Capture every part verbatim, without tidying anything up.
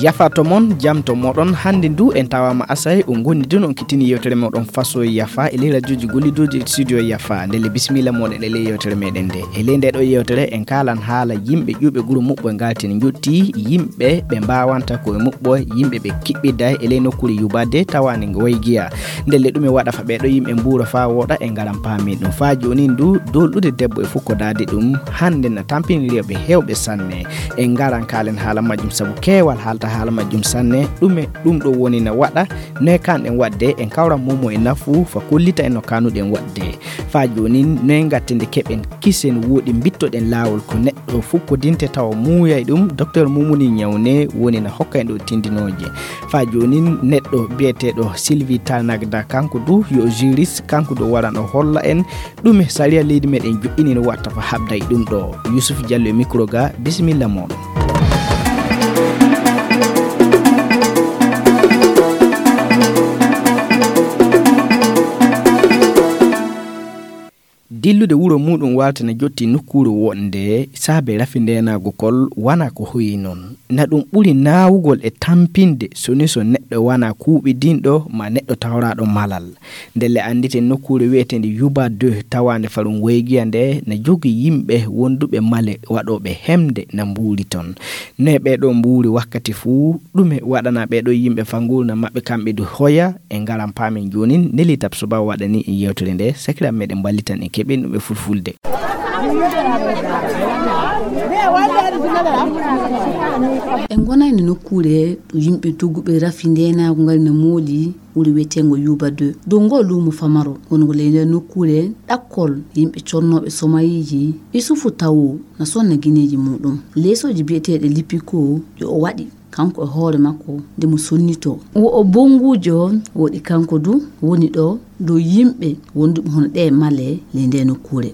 Yafa to mon, jam to moɗon. Hannde ndu en tawaama Asay, on ngoni dino on kittini yewtere moɗon Faso Yafa e ley radioji gollidoji e studio Yafa. Ndelle bisimilla moɗon e ley yewtere meɗen nde. E ley nde ɗo yewtere en kaalan haala yimɓe ƴuɓe guro muɓɓo e ngaltini njotti yimɓe ɓe mbawanta ko e muɓɓo, yimɓe ɓe kiɓɓidda e ley nokkuure yubade tawande ngo Waygiya. Ndelle ɗum e waɗa fa ɓeɗo yimɓe mbuura fa woɗa e ngaran paami ɗum. Fa joni ndu dolɗude debbo e fukkodaade ɗum hannde na tampini rewɓe hewɓe sanne. En ngaran kaalen haala majjum sabu keewal haalta haala majjum sanne. Ɗume ɗum ɗo woni na waɗa? Noye kanɗen waɗde? En kawran momo e nafu fa kollita en no kanuɗen waɗde. Fa jonin noye ngattinde keɓen kisen woɗi mbittoɗen laawol ko neɗɗo fukkodinte tawa muuyay ɗum? Docteur Mumuni Ñawne woni na hokka en ɗo tindinooje. Fa jonin neɗɗo biyeteeɗo Sylvie Tanagda kanko du yo juriste, kanko du waran o holla en ɗume sariya leydi meɗen joɗɗini no watta ko habda e ɗum ɗo. Yusuf Diallo e micro ga, bisimilla moɗon. Dillude wuro muɗum walta na jotti nokkuure wonde saabe rafi ndenaagu kol wana ko hoyi noon. Na ɗum ɓuri naawugol e tampinde soni so neɗɗo wana kuuɓidinɗo ma neɗɗo tawraaɗo malal. Ndelle annditen nokkuure wiyeteende Yuba deux tawaande farum Waygiya nde na jogi yimɓe wonduɓe male waɗooɓe hemde na mbuuri toon. No e ɓeeɗo mbuuri wakkati fuu, ɗume waɗana ɓeeɗo yimɓe fa nguurndam maɓɓe kamɓe du hoya? En ngaran paamen joonin, Nelly Tab Soba waɗani en yewtere nde, sakiraaɓe meɗen mballitan en keɓen ɗum e fulfulde. En ngonayno nokkuure ɗo yimɓe dogguɓe rafi ndeenaagu ngal no mooli wuro wiyeteengo Yuba deux. Dow ngoo luumo famaro wongo ley nder nokkuure ɗakkol yimɓe connooɓe somayiiji, Isufu Tawo na sonna gineeji muɗum. Leesooji biyeteeɗe Lipiko ɗi o waɗi kanko e hoore makko nde mo sonnitoo. Wo o bonnguujo woɗi kanko du woni ɗo dow yimɓe wonduɓe hono ɗee male ley ndee nokkuure.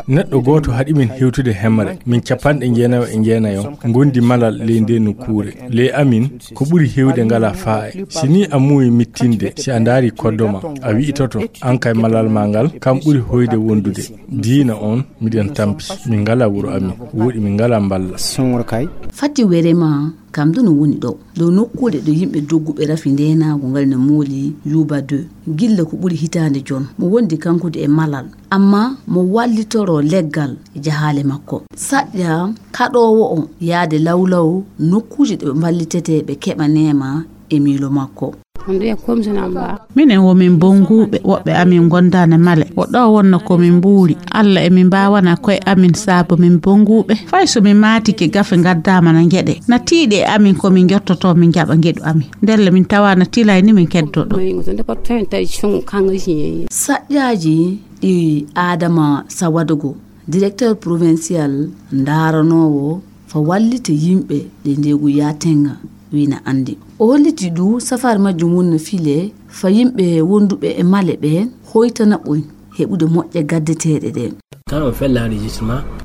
Neɗɗo gooto haɗi min hewtude hemre, min capanɗe jeenayo e jeenayo ngondi malal ley ndee nokkuure. Ley amin, ko ɓuri heewde ngalaa faa'e. Si nii a muuyi mittinde, si a ndaari koddo ma, a wi'itoto, aan kay malal maa ngal, kam ɓuri hoyde wondude. Diina on, miɗen tampi, min ngalaa wuro amin, woɗi min ngalaa mballa. Fati were ma, kam du no woni ɗo. Ɗo nokkuure ɗo yimɓe dogguɓe rafi ndeenaagu ngal no mooli Yuba deux. Gilla ko ɓuri hitaande jon, mo wondi kanko du e malal. Amma mo wallitoroo leggal e jahaale makko. Saƴƴa kaɗoowo o yaade lawlaw nokkuuje ɗe ɓe mballitetee ɓe keɓa neema e miilo makko. Minen wo min bonnguuɓe, woɓɓe amin ngondaana male. Wo ɗo wonno ko min mbuuri. Alla e min mbaawana koye amin saabu min bonnguuɓe. Fay so min maatike gafe ngaddaama na njeɗe. Na tiiɗi e amin ko min njottotoo min njaɓa ngeɗu amin. Ndelle min tawaana tilay ni min keddoɗo. Saƴƴaaji ɗi Aadama Sawadogo, directeur provincial ndaaranoowo fa wallite yimɓe ɗe ndeegu yaatenga wii na anndi. O holliti du safaari majjum woni no file fa yimɓe wonduɓe e male ɓe hoytana ɓoy heɓude moƴƴe gaddeteeɗe ɗe.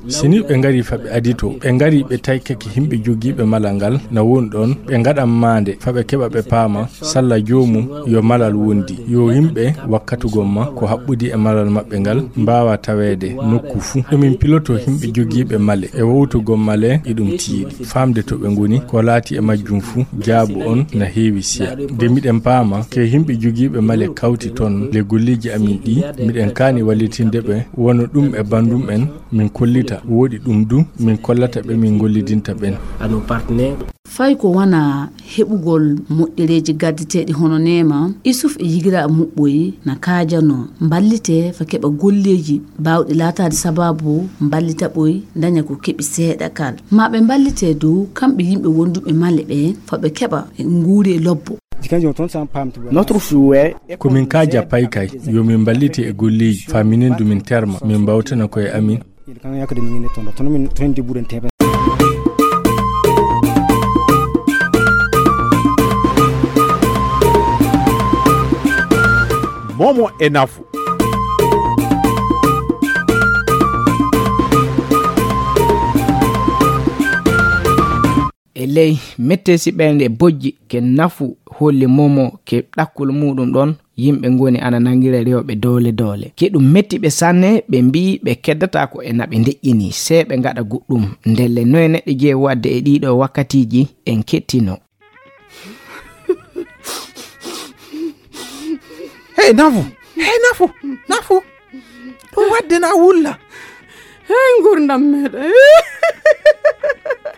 Si ni ɓe ngari fa ɓe adito, ɓe ngari ɓe taykake yimɓe jogiiɓe malal ngal na woni ɗon, ɓe ngaɗan maande fa ɓe keɓa ɓe paama salla joomum yo malal wondi, yo yimɓe wakkatugol ma ko haɓɓudi e malal maɓɓe ngal mbaawa taweede nokku fuu. Emin piloto yimɓe jogiiɓe male e wowtugol male e ɗum tiiɗi, faamde to ɓe ngoni, ko laati e majjum fuu, jaabu on na heewi siya. De miɗen paama ke yimɓe jogiiɓe male kawti ton le golleeji amin ɗi, miɗen kaani wallitinde ɓe, wano ɗum e bandum en, min kollita, woɗi ɗum du, min kollata ɓe min gollidinta ɓen. Fay ko wona heɓugol moƴƴereeji gaddeteeɗi hono neema, Isuf e yigiraaɓe muɓɓoy na kaajanoo mballite fa keɓa golleeji baawɗi laataade sabaabu mballita ɓoy ndaña ko keɓi seeɗa kal. Ma ɓe mballite dow kamɓe yimɓe wonduɓe male ɓe fa ɓe keɓa nguuri e lobbo. Ko min kaaja paykay, yo min mballite e golleeji fa minen du min terma, min mbawtana koye amin. Momo e nafu. E ley mettesi ɓernde bojji ke nafu holli momo ke ɗakkol muɗum ɗon, yimɓe ngoni ana nangira rewɓe doole doole. Ke ɗum metti ɓe sanne, ɓe mbi'i ɓe keddata ko e naɓe ndeƴƴini, sey ɓe ngaɗa goɗɗum. Ndelle noye neɗɗo jeyi waɗde e ɗiɗo wakkatiiji en kettino. E nafu. Hey, nafu. Nafu. Ɗum waɗde na wulla. Hey, ngurdam meeɗen.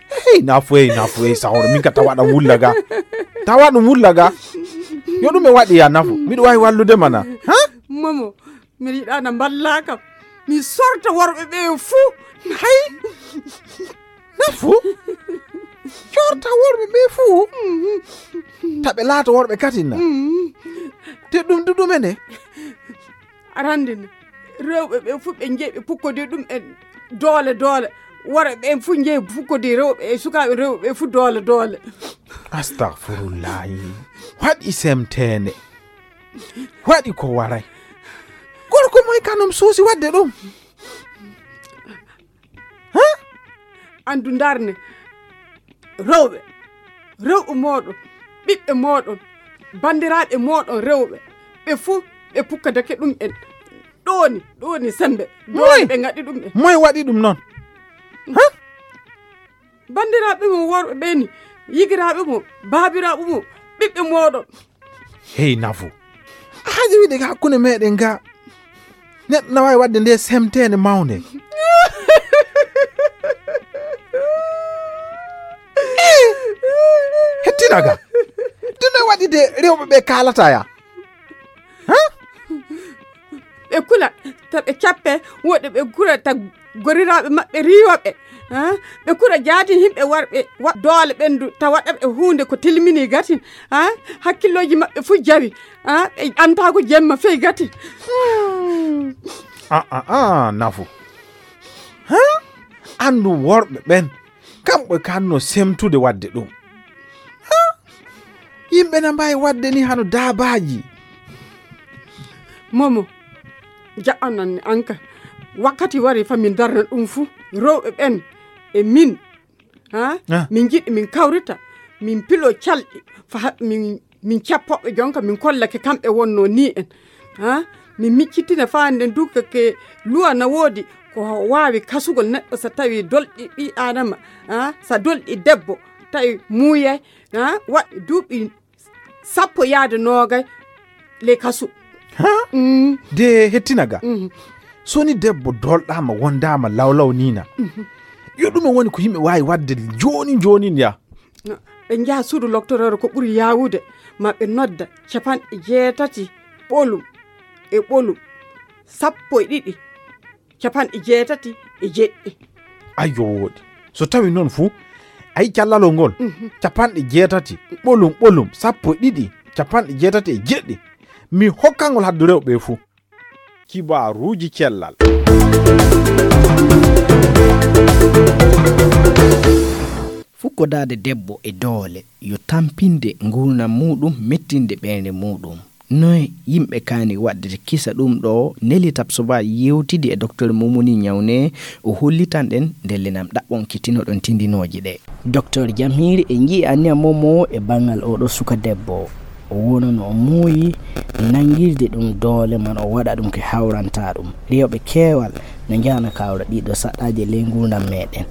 Hey, nafu, hey, nafu, hey, sahoro. Min ka tawa ɗam wulla ga. Tawa ɗum wulla ga. Yo ɗum e waɗi ya nafu. Miɗo waawi wallude mana. Ha? Momo, miɗo yiɗa na mballa kam. Mi sorta worɓe ɓe fuu. Hay. Nafu? Sorta worɓe ɓe fuu. Taɓe laato worɓe katin na. Te ɗum du ɗum ene. Arande ne. Rewɓe ɓe fuu ɓe njeyi ɓe pukkodi ɗum en doole doole. Worɓe ɓe fuu njeyi pukkodi rewɓe e sukaaɓe rewɓe ɓe fuu doole doole. Astagfirullahi. Waɗi semteende. Waɗi ko waray. Gorko moy kanum suusi waɗde ɗum? Ha? Andu ndarne. Rewɓe. Rewɓe mooɗon. Ɓiɓɓe mooɗon. Banndiraaɓe mooɗon rewɓe. Ɓe fuu ɓe pukkadake ɗum en. Ɗooni, ɗooni sembe. Moy? Ɗooni ɓe ngaɗi ɗum en. Moy waɗi ɗum noon? Ha? Banndiraaɓe mum worɓe ɓe ni, yigiraaɓe mum, baabiraaɓe mum, ɓiɓɓe mooɗon. Hey, nafu. A haji wiide ka hakkunde meɗen ga. Neɗɗo na waawi waɗde nde semteende mawnde. Eh, hettina ga. Ɗum e waɗi de rewɓe ɓe kaalata ya. Ha? Ɓe kula, ta ɓe cappe, woɗɓe ɓe kula, ta goriraaɓe maɓɓe riiwa ɓe. Ha? Ɓe kula jaati yimɓe warɓe wa-, doole ɓendu, ta waɗa ɓe huunde ko tilmini gati. Ha? Hakkillooji maɓɓe fuu jawi. Ha? Ɓe ɓantaako jemma fey gati. Hmm. A, a, a, nafu. Ha? Andu worɓe ɓen, kamɓe kanno semtude waɗde ɗum. Ha? Yimɓe na mbaawi waɗde ni hano daabaaji. Momo, jaɓanan ni an ka. Wakkati wari fa min darna ɗum fuu. Rewɓe ɓen e min. Ha? Ah. Min njiɗi min kawrita, min pilo calɗi. Fa ha-, min, min cappoɓe jonka, min kollake kamɓe wonno ni en. Ha? Min miccitina fa nden du ke, ke luwa na woodi ko waawi kasugol neɗɗo so tawi dolɗi ɓi Adama. Ha? So dolɗi debbo, tawi muuyay. Ha? Waɗi duuɓi sappo yaade noogay ley kasu. Ha? Mm. De hettina ga. Mhm. So ni debbo dolɗaama, wondaama lawlaw ni na. Mhm. Yo ɗum woni ko yimɓe waawi waɗde jooni jooni ya. No, ɓe njaha suudu loktorooru ko ɓuri yaawude, ma ɓe nodda capanɗe jeetati ɓolum e ɓolum, sappo e ɗiɗi. Capanɗe jeetati e jeɗɗi. Ayyo, wooɗi. So tawi noon fuu, ayi callalol ngol, mhm, capanɗe jeetati, ɓolum, ɓolum, sappo e ɗiɗi, capanɗe jeetati e jeɗɗi. Mi hokkangol haddu rewɓe fuu. Kibaaruuji cellal. Fukkodaade debbo e doole, yo tampinde nguurndam muuɗum, mettinde ɓernde muuɗum. Noy yimɓe kaani waɗde kisa ɗum ɗo? Nelly Tapsoba yewtidi e Docteur Momoni Ñawne, o hollitan ɗen ndelle nam ɗaɓɓon kittinoɗon tindinooji ɗe. Docteur Jamhiri e nji'i anniya Momo e banngal oɗo suka debbo. O wonano o muuyi nangirde ɗum doole man o waɗa ɗum ke hawranta ɗum. Rewɓe keewal no njahana kawra ɗiɗo saɗɗaaji e ley nguurndam meɗen.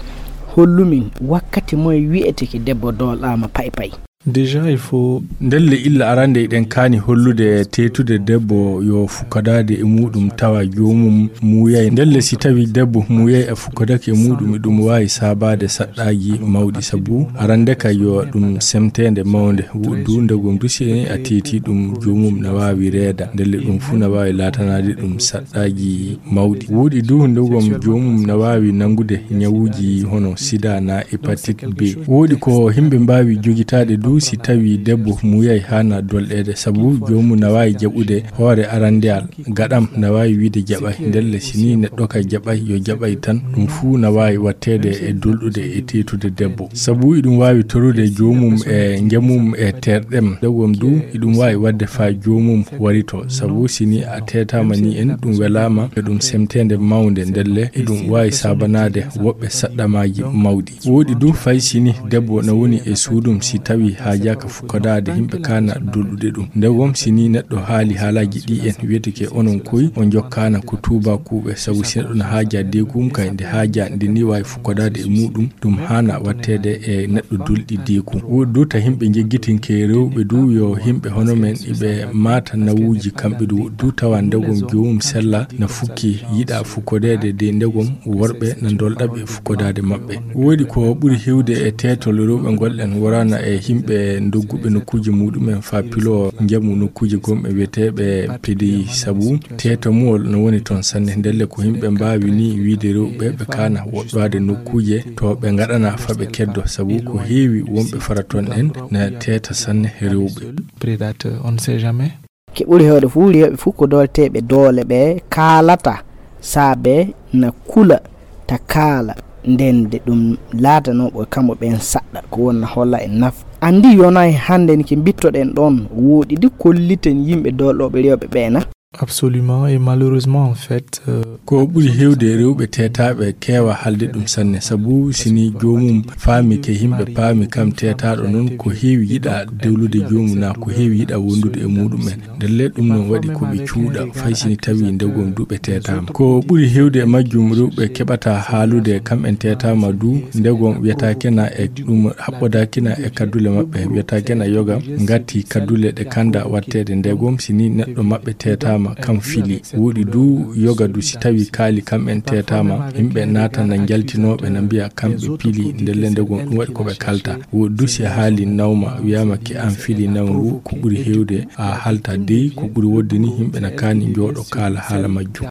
Hollumin wakkati moye wi'eteke debbo doolɗaama pay pay. Déjà, il faut. Ndelle illa arande eɗen kaani hollude teetude debbo yo fukkadaade e muuɗum tawa joomum muuyay. Ndelle si tawi debbo muuyay a fukkadake e muuɗum, eɗum waawi saabaade saɗɗaaji mawɗi, sabu arande ka yo ɗum semteende mawnde. Wo-, du ndegom du si a teeti ɗum joomum na waawi reeda. Ndelle ɗum fuu na waawi laatanaade ɗum saɗɗaaji mawɗi. Wooɗi du ndegom joomum na waawi nanngude ñawuuji hono sida na hépatite B. Wooɗi ko yimɓe mbaawi jogitaade du si tawi debbo muuyay haana dolɗeede, sabu joomum na waawi jaɓude hoore arandeyal, gaɗam na waawi wiide jaɓay. Ndelle si ni neɗɗo ka jaɓay, yo jaɓay tan, ɗum fuu na waawi watteede e dolɗude e teetude debbo. Sabu iɗum waawi torude joomum e njamum e terɗem. Ndegom du iɗum waawi waɗde faa joomum warito, sabu si ni a teetaama ni en, ɗum welaama, e ɗum semteende mawnde, ndelle iɗum waawi saabanaade woɓɓe saɗɗamaaji mawɗi. Wooɗi du fay si ni debbo na woni e suudum, si tawi Haajaaka fukkodaade yimɓe kaana dolɗude ɗum. Ndegom si ni neɗɗo haali haalaaji ɗi en, wiyeteke onon koy on jokkaana ko tuubaakuuɓe, sabu si neɗɗo na haajaa deegum kay nde haajaa nde ni waawi fukkodaade e muuɗum, ɗum haana watteede e neɗɗo dolɗi deegum. Woɗɗi du ta yimɓe njeggitinke rewɓe du yo yimɓe hono men iɓe maata nawuuji kamɓe du. Woɗɗi du tawa ndegom joomum sella na fukki yiɗa fukkodeede de ndegom worɓe na dolɗa ɓe fukkodaade maɓɓe. Woɗi ko ɓuri hewde e teetol rewɓe ngol en woraana e yimɓe dogguɓe nokkuuji muuɗum en faa piloo njamu nokkuuji gomɓe wiyeteeɓe P D I, sabu teetamuwol no woni toon sanne. Ndelle ko yimɓe mbaawi ni wiide rewɓe ɓe kaana woɗɗoade nokkuuje to ɓe ngaɗana faa ɓe keddo, sabu ko heewi wonɓe fara toon en na teeta sanne rewɓe. Prédateur, on ne sait jamais. Ke ɓuri heewde fuu, rewɓe fuu ko doolteeɓe doole ɓe kaalata, saabe na kula ta kaala, nden de ɗum laatanoo ɓe kamɓe ɓeen saɗɗa, ko wonna holla e nafa. Anndi yonay hannde ni ke mbittoɗen ɗoon, woɗɗi di kolliten yimɓe doolɗooɓe rewɓe ɓee na? Absolument, et malheureusement, en fait, euh, ko ɓuri heewde rewɓe teetaaɓe keewa haalde ɗum sanne, sabu si ni joomum faami ke yimɓe paami kam teetaaɗo noon ko heewi yiɗa dewlude joomum na ko heewi yiɗa wondude e muuɗum en. Ndelle ɗum noon waɗi ko ɓe cuuɗa, fay si ni tawi ndegom du ɓe teetaama. Ko ɓuri heewde e majjum rewɓe keɓata haalude kam en teetaama du, ndegom wiyataake na e ɗum haɓɓodaaki na e kaddule maɓɓe, wiyataake na yoga ngati kaddule ɗe kanda watteede ndegom si ni neɗɗo maɓɓe teetaama kam fili. Woɗi du yoga du si tawi kaali kam en teetaama, yimɓe naata na njaltinooɓe na mbiya kamɓe pili ndelle ndegom ɗum waɗi ko ɓe kalta. Woɗi du si a haali nawma wiyaama ke an fili nawngu, ko ɓuri heewde a halta dey, ko ɓuri woɗde ni yimɓe na kaani njooɗo kaala haala majjum.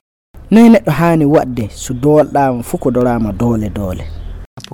Noy neɗɗo haani waɗde so doolɗaama fuu ko doraama doole doole?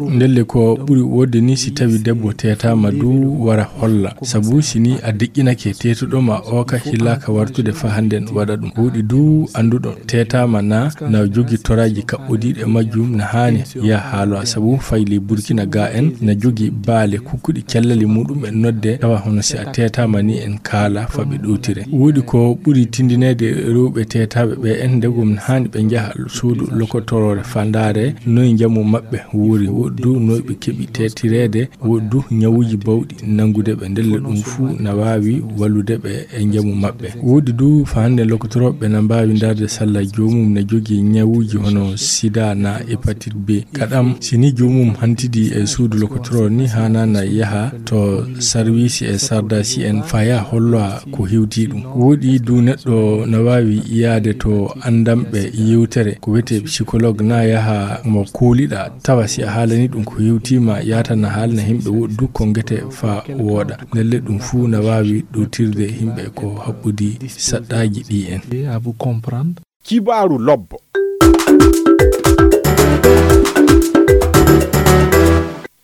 Ndelle ko ɓuri woɗde ni si tawi debbo teetaama du wara holla, sabu si ni a deƴƴinake teetuɗo ma o ka hillaaka wartude faa hannden waɗa ɗum. Woɗi du annduɗo teetaama na, na jogi toraaji kaɓɓodiiɗo e majjum na haani ya haalo a sabu fay ley Burkina ga en na jogi baale kukkuɗi cellali muuɗum en nodde tawa hono si a teetaama ni en kaala faa ɓe ɗowtire. Woɗi ko ɓuri tindineede rewɓe teetaaɓe ɓe en ndegom na haani ɓe njaha suudu lokotoroore faa ndaare noy njamu maɓɓe wuri, woɗi du noy ɓe keɓi teetireede, woɗi du ñawuuji bawɗi nanngude ɓe ndelle ɗum fuu na waawi wallude ɓe e njamu maɓɓe. Woɗi du faa hannde lokotorooɓe na mbaawi ndaarde salla joomum na jogii ñawuuji hono sida na hépatite B. Kaɗam si ni joomum hantidi e suudu lokotoro ni haana na yaha to sarwiisi e sardasi en faa ya holloa ko hewti ɗum. Woɗi du neɗɗo na waawi yaade to anndanɓe yewtere ko wiyetee psychologue na yaha mo kooliɗa tawa si a haalani ɗum ko hewtiima yaata na haalna yimɓe woɗi du ko ngete faa wooɗa. Ndelle ɗum fuu na waawi ɗowtirde yimɓe ko haɓɓodi saɗɗaaji ɗi en. À vous comprendre. Kibaaru lobbo.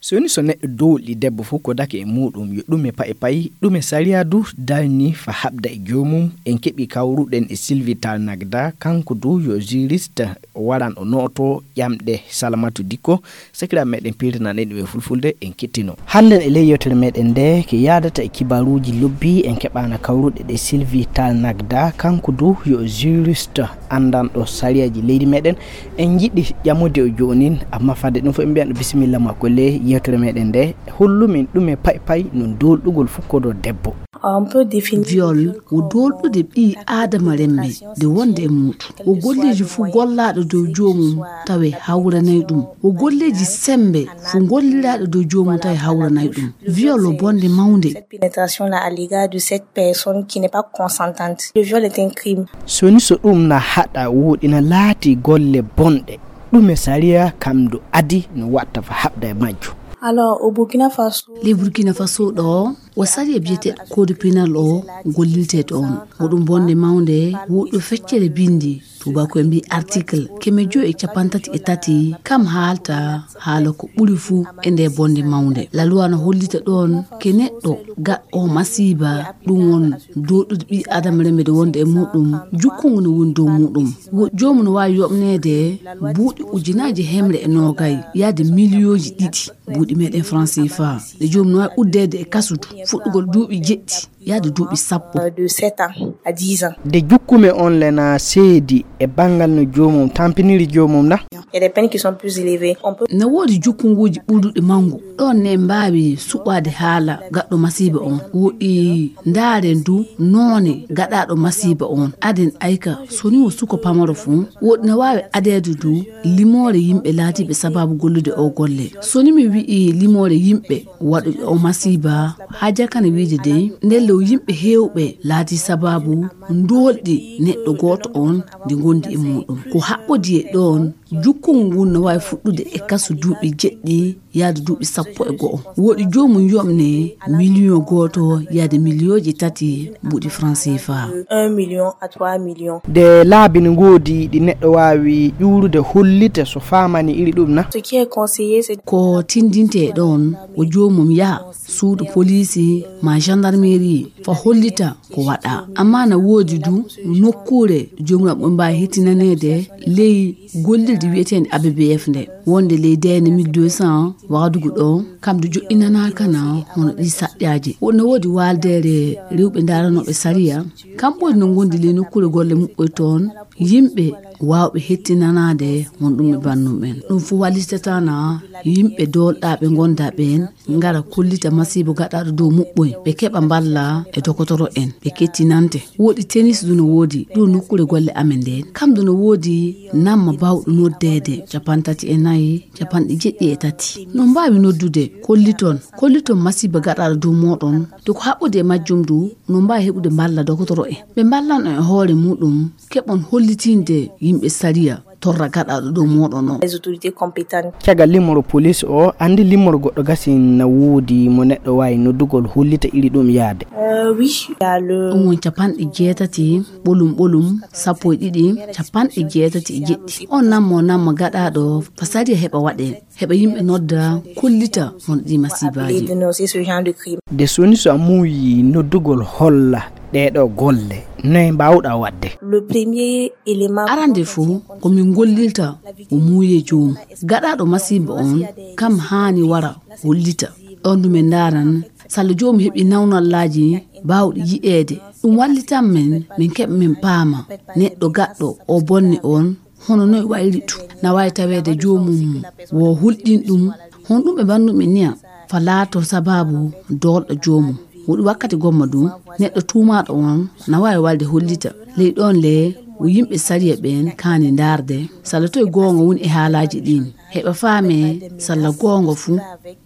So woni so neɗɗo dowli debbo fof ko dake e muuɗum yo ɗume paye paye, ɗume sariya du darni fa haɓda e joomum. En keɓi kawruɗen e Sylvie Tall Nagda, kanko du yo juriste, waran o nooto ƴamɗe Salamatu Dikko, sakiraaɓe meɗen pirtanaɗen ɗum e fulfulde, en kettino. Hannden e ley yewtere meɗen nde, ke yaadata e kibaruuji lobbi, en keɓaana kawruɗe ɗe Sylvie Tall Nagda, kanko du yo juriste anndanɗo sariyaji leydi meɗen. En njiɗi ƴamude o joonin, amma fadde ɗum fof en mbiyan ɗo bisimilla makko ley yewtere meɗen nde, hollumin ɗume paye paye no doolɗugol fukkodo debbo. On peut définir viol ko doolɗude ɓii aadama remme nde wonde e muuɗum. Ko golleeji fuu gollaaɗo dow joomum tawe hawranay ɗum. Ko golleeji sembe fuu golliraaɗo dow joomum tawe hawranay ɗum. Viol o bonde mawnde. Cette pénétration-là à l'égard de cette personne qui n'est pas consentante. Le viol est un crime. So ni so ɗum na haɗa woɗi na laati golle bonɗe, ɗume sariya kam do adi no watta fa haɓda e majjo? Alors, au Burkina Faso, le Burkina Faso ɗo, o sariya biyeteeɗo code pénal o gollirte ɗoon. Ko ɗum bonde mawnde, woɗɗo feccere bindi, tubaako e mbi article keme joyi e capantati e tati, kam haalta haala ko ɓuri fuu e nde bonde mawnde. La loi no hollita ɗoon ke neɗɗo gaɗɗo masiiba, ɗum won doolɗude ɓii Aadama remmede wonde e muuɗum, jukkungu no woni dow muuɗum. Wo-, joomum no waawi yoɓneede buuɗi ujunaaji hemre e noogay, yaade miliyooji ɗiɗi buuɗi meɗen franc C F A. Nde joomum no waawi uddeede e kasudu, fuɗɗugol duuɓi jeɗɗi, yaade duuɓi sappo. De sept ans à dix ans. Nde jukkumi on le na seedi e banngal no joomum tampiniri joomum na? Il y a des peines qui sont plus élevées. On peut... No woodi jukkunguuji ɓurduɗi manngu. Ɗoon ne mbaawi suɓaade haala gaɗɗo masiiba on. Woɗi ndaaren du noone gaɗaaɗo masiiba on. Aden ayka, so ni o suko pamaro fuu, woɗi no waawi adeede du limoore yimɓe laatiiɓe sabaabu gollude o golle. So ni mi wi'i limoore yimɓe waɗuɓe o masiiba, haa jakana wiide dey, ndelle o yimɓe heewɓe laatii sabaabu ndoolɗi neɗɗo gooto on ndi ngondi e muuɗum. Ko haɓɓodi e ɗoon, jukkungol ngol no waawi fuɗɗude e kasu duuɓi jeɗɗi yaade duuɓi sappo e go'o. Woɗi joomum yoɓne miliyon gooto yaade miliyooji tati mbuuɗi franc C F A. Un million à trois millions. De laabi no ngoodi ɗi neɗɗo waawi ƴuurude hollita so faamani iri ɗum na? Ce qui est conseillé, c'est... Ko tindinte e ɗoon, o joomum yaha suudu poliisi ma gendarmerie fa hollita ko waɗa. Amma na woodi du nokkuure joomum ɓe mbaawi hettinaneede ley gollirde wiyeteende A B B F nde, wonde ley D N mille deux cents Wagadugu ɗo, kam du joɗɗinanaaka na hono ɗi saɗɗaaji. Wonno woodi waaldeere rewɓe ndaaranooɓe sariya, kam ɓuri no ngondi ley nokkuure golle muɓɓoy toon, yimɓe waawɓe hettinanaade won ɗum e bannum en. Ɗum fof wallitata na yimɓe doolɗaaɓe ngonda ɓeen ngara kollita masiibo gaɗaaɗo dow muɓɓoy, ɓe keɓa mballa e dokotoro en, ɓe kettinante. Woodi tennis du no woodi ɗo nokkuure golle amen ndeen. Kam du no woodi namma baawɗo noddeede, capanɗe tati e nayi, capanɗe jeɗɗi e tati. No mbaawi noddude, kolliton, kolliton masiiba gaɗaaɗo dow mooɗon. De ko haɓɓodi e majjum du, no mbaawi heɓude mballa dokotoro en. Ɓe mballan on e hoore muɗum, keɓon hollitinde yimɓe sariya torra gaɗaaɗo dow mooɗon o. Les autorités compétentes. Caggal limmoro police o, anndi limmoro goɗɗo gasi na woodi mo neɗɗo waawi noddugol hollita iri ɗum yaade. Euh, oui, il y a le... Ɗum won capanɗe jeetati, ɓolum ɓolum, sappo e ɗiɗi, capanɗe jeetati e jeɗɗi. On nammo namma gaɗaaɗo, fa sariya heɓa waɗee, heɓa yimɓe nodda, kollita won ɗi masiibaaji. Appeler, dénoncer ce genre de crime. De soni so a muuyi noddugol holla ɗee ɗoo golle, noye mbaawɗaa waɗde? Le premier élément... Arande fof, ko min gollirta o muuye joomum. Gaɗaaɗo masiiba on, kam haani wara hollita. Ɗoon du min ndaaran, salla joomum heɓi nawnallaaji baawɗi yi'eede. Ɗum wallitan men, min keɓa min paama neɗɗo gaɗɗo o bonne on, hono noy wayri tu. Na waawi taweede joomum wo hulɗin ɗum, hon ɗum ɓe mbannu min niya, fa laato sabaabu doolɗo joomum. Woɗi wakkati gomma du, neɗɗo tuumaaɗo on na waawi walde hollita. Ley ɗoon le, wo yimɓe sariya ɓeen kaani ndaarde, salla toy goonga woni e haalaaji ɗiin. Heɓa faame, salla goonga fuu,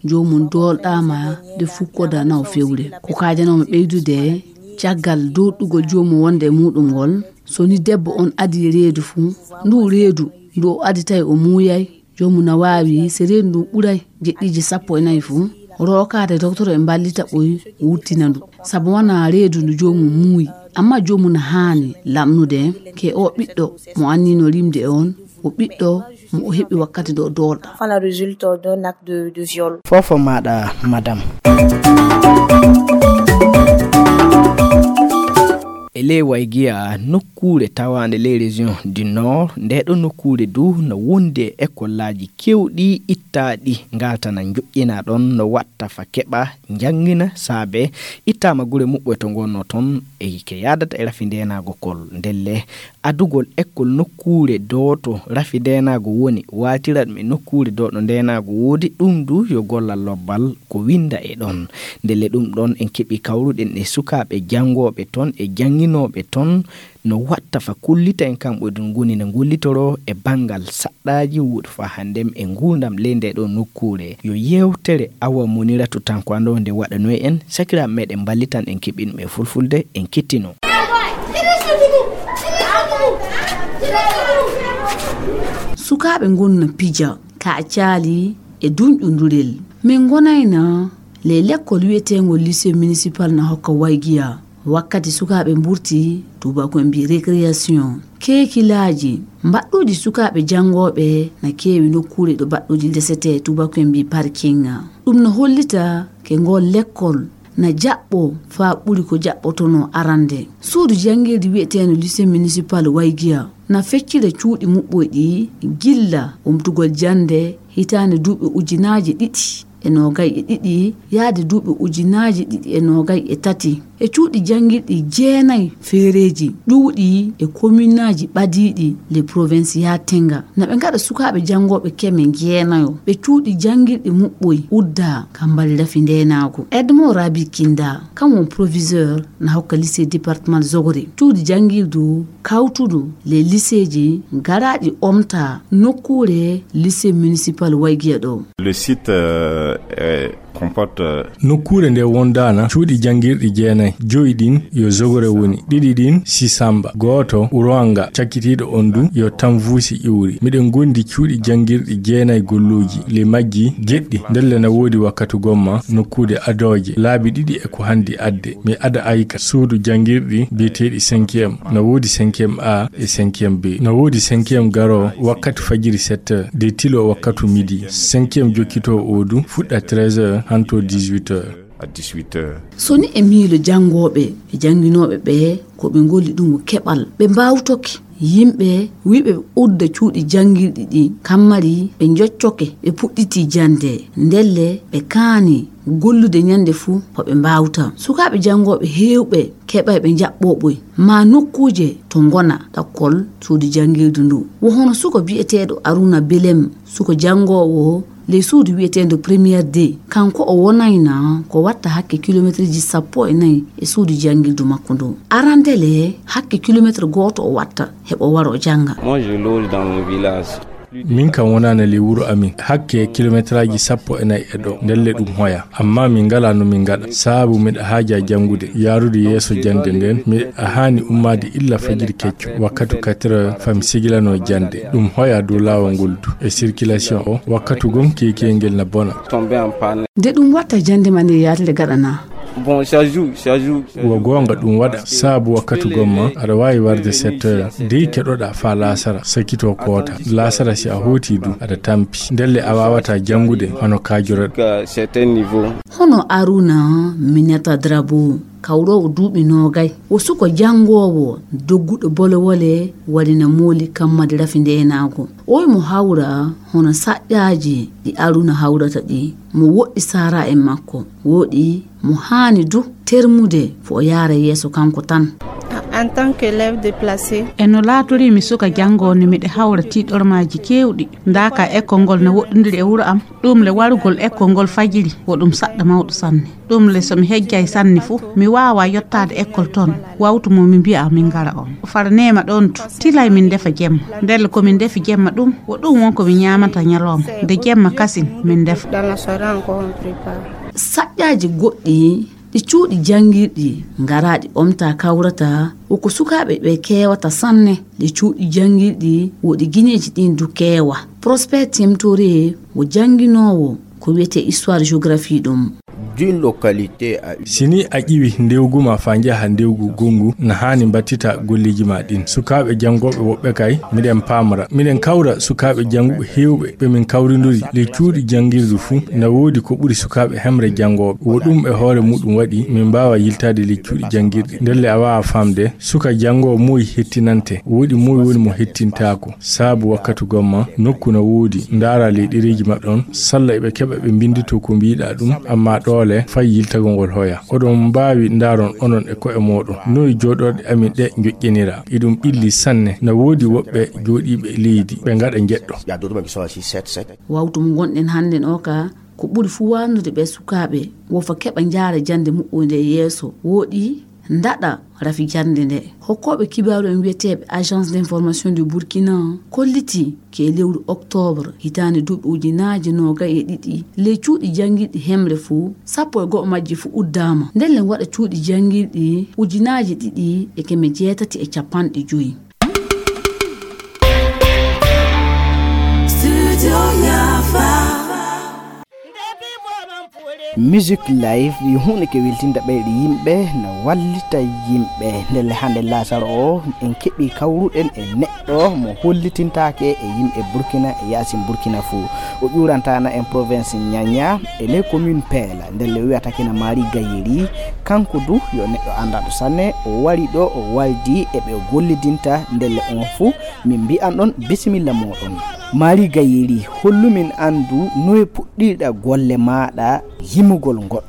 joomum doolɗaama de fukkoda naw fewre. Ko kaajanoomi ɓeydude, caggal doolɗugol joomum wonde e muɗum ngol, so ni debbo on adii reedu fuu, ndu reedu ndu o adii tawi o muuyay, joomum na waawi, so reedu ndu ɓuray jeɗɗiiji sappo e nayi fuu, rookaade doktoro e mballita ɓoy wurtina ndu. Sabu wonaa reedu ndu joomum muuyi, amma joomum na haani lamnude ke o ɓiɗɗo mo annino rimde on, o ɓiɗɗo mo o heɓi wakkati ɗo doolɗa. Enfin, la résulte d'un acte de, de viol. Foofo maaɗa, madame. E ley Waygiya, nokkuure tawaande ley région du Nord, ndee ɗoo nokkuure du no wondi e ekollaaji keewɗi ittaaɗi, ngaltana njoƴƴinaa ɗoon no watta fa keɓa njanngina saabe ittaama gure muɓɓoy to ngonnoo toon e ke yaadata e rafi ndeenaago kol. Ndelle adugol ekkol nokkuure dooto rafi ndeenaago woni, waaltira ɗum e nokkuure dooɗo ndeenaago woodi, ɗum du yo gollal lobbal ko winnda e ɗoon. Ndelle ɗum ɗoon en keɓi kawruɗen e sukaaɓe janngooɓe toon e jannginooɓe toon, no watta fa kullita en kamɓe ɗum ngoni no ngollitoroo e banngal saɗɗaaji wuuɗi fa hannden e nguurndam ley ndee ɗoo nokkuure. Yo yeewtere Awa Moniratu Tanko Ando nde waɗanoy en, sakiraaɓe meɗen mballitan en keɓi ɗum e fulfulde, en kettino. Sukaaɓe ngonna pija, ka caali e dunƴondurel. Min ngonayna le lekkol wiyeteengol lycée municipal na hokka Waygiya. Wakkati sukaaɓe mburti, tuubaaku en mbi récréation. Keekilaaji, mbaɗɗuuji sukaaɓe janngooɓe na keewi nokkuure ɗo mbaɗɗuuji ndesetee, tuubaaku en mbi parking. Ɗum no hollita ke ngol lekkol na jaɓɓo faa ɓuri ko jaɓɓotonoo arande. Suudu janngirde wiyeteendu lycée municipal Waygiya na feccira cuuɗi muɓɓoy ɗi gilla wumtugol jannde hitaande duuɓi ujunaaji ɗiɗi e noogay e ɗiɗi yaade duuɓi ujunaaji ɗiɗi e noogay e tati. E cuuɗi janngirɗi jeenayi feereeji ɗuuɗi e kominaaji ɓadiiɗi le Provincia Tenga, na ɓe ngaɗa sukaaɓe janngooɓe keme jeenayo ɓe cuuɗi janngirɗi muɓɓoy uddaa ka mbali rafi ndeenaagu. Edmond Rabi Kinda, kan won proviseur na hokka lycée départemental Zogore cuuɗi janngirdu kawtudu le lycéeji garaaɗi omta nokkuure lycée municipal Waygiya ɗo. Le site euh, est comporte euh, Nokkuure nde wondaana cuuɗi janngirɗi jeenayi. Joyi ɗin yo Zogore woni, ɗiɗi ɗin Sisamba, gooto Uroanga, cakkitiiɗo on du yo Tamvusi iwri. Miɗen gondi cuuɗi janngirɗi jeenayi golluuji. Ley majji jeɗɗi ndelle na woodi wakkatu gomma nokkuude adooje laabi ɗiɗi e ko handi adde. Mi ada ayka suudu janngirɗi biyeteeɗi cinquième. Na woodi cinquième A e cinquième B. Na woodi cinquième garo wakkatu fajiri sept heures, de tilo wakkatu midi. Cinquième jokkito o du fuɗɗa treize heures hanto dix-huit heures. À dix-huit heures. So ni e miilo janngooɓe e jannginooɓe ɓe, ko ɓe ngolli ɗum ko keɓal. Ɓe mbaawtoke yimɓe wiɓe ɓe udda cuuɗi janngirɗi ɗi kammari ɓe njoccoke ɓe puɗɗiti jannde. Ndelle ɓe kaani gollude ñannde fuu ko ɓe mbaawta. Sukaaɓe janngooɓe heewɓe keɓay ɓe njaɓɓoo ɓoy maa nokkuuje to ngona ɗakkol suudu janngirdu ndu. Wo hono suko biyeteeɗo Aruna Belem, suko janngoowo ley suudu wiyeteendo Première D. Kanko o wonayna ko watta hakke kilomeetreeji sappo e nayi e suudu janngirdu makko ndu. Arandele hakke kilomeetre gooto o watta heɓo waro jannga. Moi, je loge dans mon village. Min kam wonaana ley wuro amin hakke kilomeetraaji sappo e nayi e ɗo, ndelle ɗum hoya. Amma min ngalaa no min ngaɗa, saabu miɗa haaja janngude, yaarude yeeso jannde nden, miɗa haani ummaade illa fajiri kecco, wakkatu quatre heures, fami sigilanoo jannde. Ɗum hoya dow laawol ngol du. E circulation o, wakkatu gom keekeyel ngel na bona. Tombé en panne. Nde ɗum watta jannde ma nde yaade nde gaɗanaa. Bon, chaque jour, chaque jour. Wo goonga ɗum waɗa, saabu wakkatu gomma aɗa waawi warde sept heures, dey keɗoɗaa faa laasara, sakitoo koota. Laasara si a hooti du, aɗa tampi. Ndelle a waawataa janngude hono kaajoraɗo. Jusqu'à certain niveau. Hono Aruna Mineta Drabo, kawroowo duuɓi noogay, wo suko janngoowo dogguɗo bolewole waɗina mooli kammadi rafi ndeenaagu. Oy mo hawra hono saƴƴaaji ɗi Aruna hawrata ɗi, mo woɗɗi saara en makko, woɗi mo haani du termude fo o yaara yeeso kanko tan. En tant qu'élève déplacé. E no laatorii mi suka janngoowo, miɗa hawra tiiɗormaaji keewɗi. Ndaa ka ekkol ngol na woɗɗondiri e wuro am. Ɗum le warugol ekkol ngol fajiri, wo ɗum saɗɗa mawɗo sanne. Ɗum le so mi hejjay sanne fu, mi waawa yottaade ekkol ton. Wawtu mo mi mbi'a min ngara on. Fara neema ɗon tu. Tilay min ndefa jemma. Ndelle ko min ndefi jemma ɗum, wo ɗum won ko min ñaamata ñalooma. Nde jemma kasin min ndefa. Dans la soirée encore on prépare. Saƴƴaaji goɗɗi ɗi cuuɗi janngirɗi ngaraaɗi omta kawrata, wo ko sukaaɓe ɓe keewata sanne. Ɗi cuuɗi janngirɗi wo ɗi gineeji ɗin du keewa. Prosper Temtore wo jannginoowo ko wiyetee histoire géographie ɗum. D'une localité à une. Si ni a ƴiwi ndewgu ma faa njaha ndewgu gonngu, na haani mbattita golleeji ma ɗin. Sukaaɓe janngooɓe woɓɓe kay, miɗen paamra. Miɗen kawra sukaaɓe jannguɓe heewɓe ɓe min kawrindori ley cuuɗi janngirdu fuu, na woodi ko ɓuri sukaaɓe hemre janngooɓe. Wo ɗum e hoore muɗum waɗi min mbaawa yiltaade ley cuuɗi janngirɗi. Ndelle a waawa faamde, suka janngoowo moy hettinante, woodi moy woni mo hettintaako. Saabu wakkatu gomma, nokku na woodi, ndaara ley ɗereeji maɓɓe on, salla eɓe keɓa ɓe mbinnditoo ko mbiiɗaa ɗum, ammaa ɗoole fay yiltagol ngol hoya. Oɗon mbaawi ndaaron onon e ko'e mooɗon, noy jooɗorɗe amin ɗe njoƴƴinira. Iɗum ɓilli sanne, na woodi woɓɓe jooɗiiɓe e leydi, ɓe ngaɗa njeɗɗo. Il y a d'autres qui sont assis sept sept. Wawtu mo ngonɗen hannden o ka, ko ɓuri fuu waannude ɓe sukaaɓe, wo fa keɓa njaara jannde muɓɓoynde e yeeso, woɗi ndaɗa rafi jannde nde. Hokkooɓe kibaaru en wiyeteeɓe Agence d'information du Burkina kollitii ke lewru octobre hitaande duuɓi ujunaaji noogay e ɗiɗi, ley cuuɗi janngirɗi hemre fuu, sappo e go'o majji fuu uddaama. Ndelle waɗa cuuɗi janngirɗi ujunaaji ɗiɗi e keme jeetati e cappanɗe joyi. Studio Yafa. Music live yo huunde ke weltinta ɓeyɗe yimɓe, na wallita yimɓe. Ndelle hannde laasara o, en keɓii kawruɗen e neɗɗo mo hollitintaake e yimɓe Burkina e yaasin Burkina fuu. O ƴuurantaana en province Niania e ley commune Peela. Ndelle o wiyata kina Mari Gayeri, kanko du yo neɗɗo anndaɗo sanne. O wari ɗo, o waldi e ɓe o gollidinta. Ndelle on fuu min mbi'an ɗon bisimilla mooɗon. Mari Gayeri, hollu min anndu noye puɗɗirɗa golle maaɗa yimugol ngol.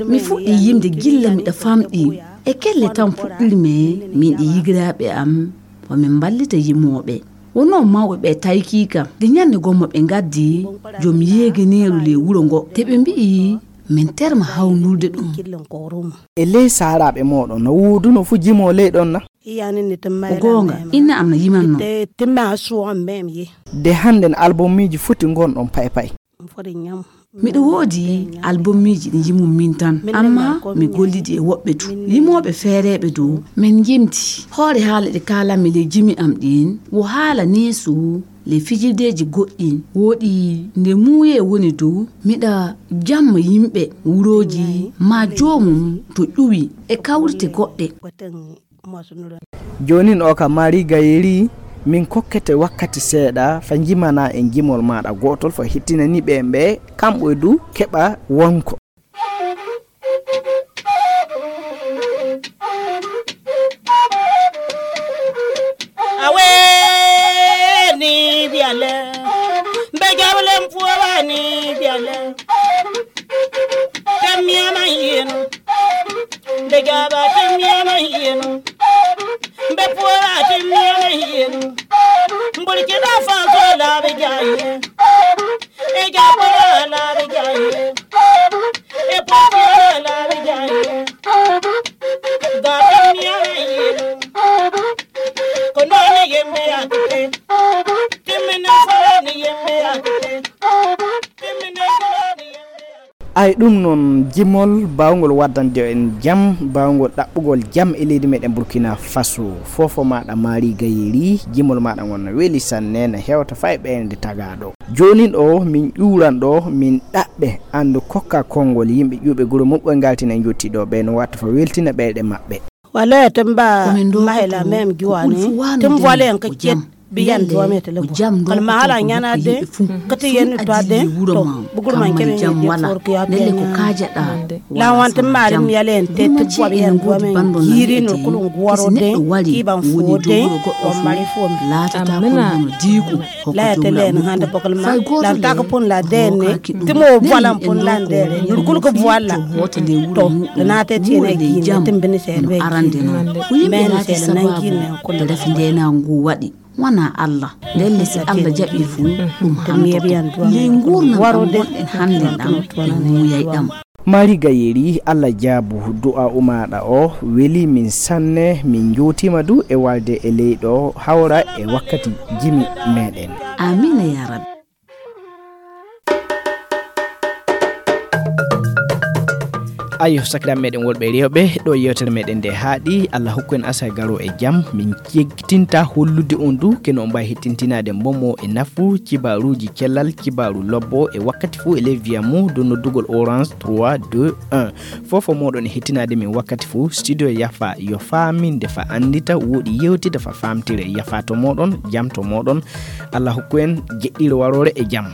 Mi fuɗɗii yimde gilla miɗa famɗi. E kelle tan puɗɗirmi min e yigiraaɓe am, ko min mballita yimooɓe. Wonno mawɓe ɓe taykii kam. Nde ñannde gomma ɓe ngaddi joom yeeganeeru ley wuro ngo. Te ɓe mbi'i min terma hawndurde ɗum. E ley saaraaɓe mooɗon, no wooduno fu jimoo ley ɗon na? O goonga, inna am na yimanno. De hannden albummiiji foti ngonɗon paypay. Miɗo woodi albummiiji ɗi jimum min tan, amma mi gollidi e woɓɓe du. Yimooɓe feereeɓe dow, min jimti. Hoore haala ɗi kaalanmi ley jimi am ɗin, wo haala neesu ley fijirdeeji goɗɗin. Wooɗi nde muuyee woni dow, miɗa jamma yimɓe wurooji, maa joomum to ƴuwi e kawrite goɗɗe. Joonin o ka Mari Gayeri, min kokkete wakkati seeɗa fa njimana en jimol maaɗa gootol fa hittinani ɓe ɓe kamɓe du keɓa wonko. Awe ni biale, be jawlem puwa ni biale. Temiama yenu, be jaba temiama yenu. Mbe puora ti miame yenu. Mbuli kila fanso la be jaye. E ja puora la be jaye. E puora la be jaye. Ga ti miame yenu. Kono ni yembe ya kite. Timene fara ni yembe ya kite. Timene fara ni yembe ya kite. Ay ɗum noon jimol baawngol waddande en jam, baawngol ɗaɓɓugol jam e leydi meɗen Burkina Faso. Fofo maɗa Mari Gayeri, jimol maɗa ngon no weli sanne, no hewta fay ɓeynde tagaɗo. Joonin o min ƴuuran ɗo, min ɗaɓɓe anndu kokka konngol yimɓe ƴuuɓe guro muɓɓe ngaltina jotti ɗo ɓe no watta fa weltina ɓeyɗe maɓɓe. Wala ya tamba mahela mem giwani. Tun vwale yan kakket biyan duwa me tele. Kalma hala nyana de kati yenu twa de. To bugul man keme ye for kiya tene. La wan tun marim yale te tun vwale yan duwa me yiri no kulun gwaro de. Kiban fo de. Wa mari fo me. La ya tele na handa bokal ma. Lan taka pun la de ne. Timo vwala pun lan de ne. Nurkul ko vwala. To na te tiene ki ne timbini se be ki. Men sele nangi men kono. Nde refi nde na ngu waɗi. Wana Allah. Ndelle si Allah jaɓi fu ɗum hantoto. Ley ngurnam ɗam wonɗen hannden ɗam e muuyay ɗam. Mari Gayeri, Allah jaabu du'a umaaɗa o weli min sanne, min njootiima du e walde e leyɗo hawra e wakkati jimi meɗen. Amiina ya Rabbi. Ayo sakiraɓe meɗen wolɓe rewɓe, ɗo yewtere meɗen nde haaɗi. Allah hokku en asa garo e jam. Min cegtinta hollude on du keno on mbawi hettintinaade momo e nafu cibaruji cellal, cibaru lobbo e wakkati fuu e ley viya mo dow noddugol orange trois deux un. Fofo moɗon e hettinaade min wakkati fuu. Studio yafa yo faaminde fa anndita, woɗi yewtida fa faamtire. Yafa to moɗon, jam to moɗon. Allah hokku en jeɗɗiro warore e jam.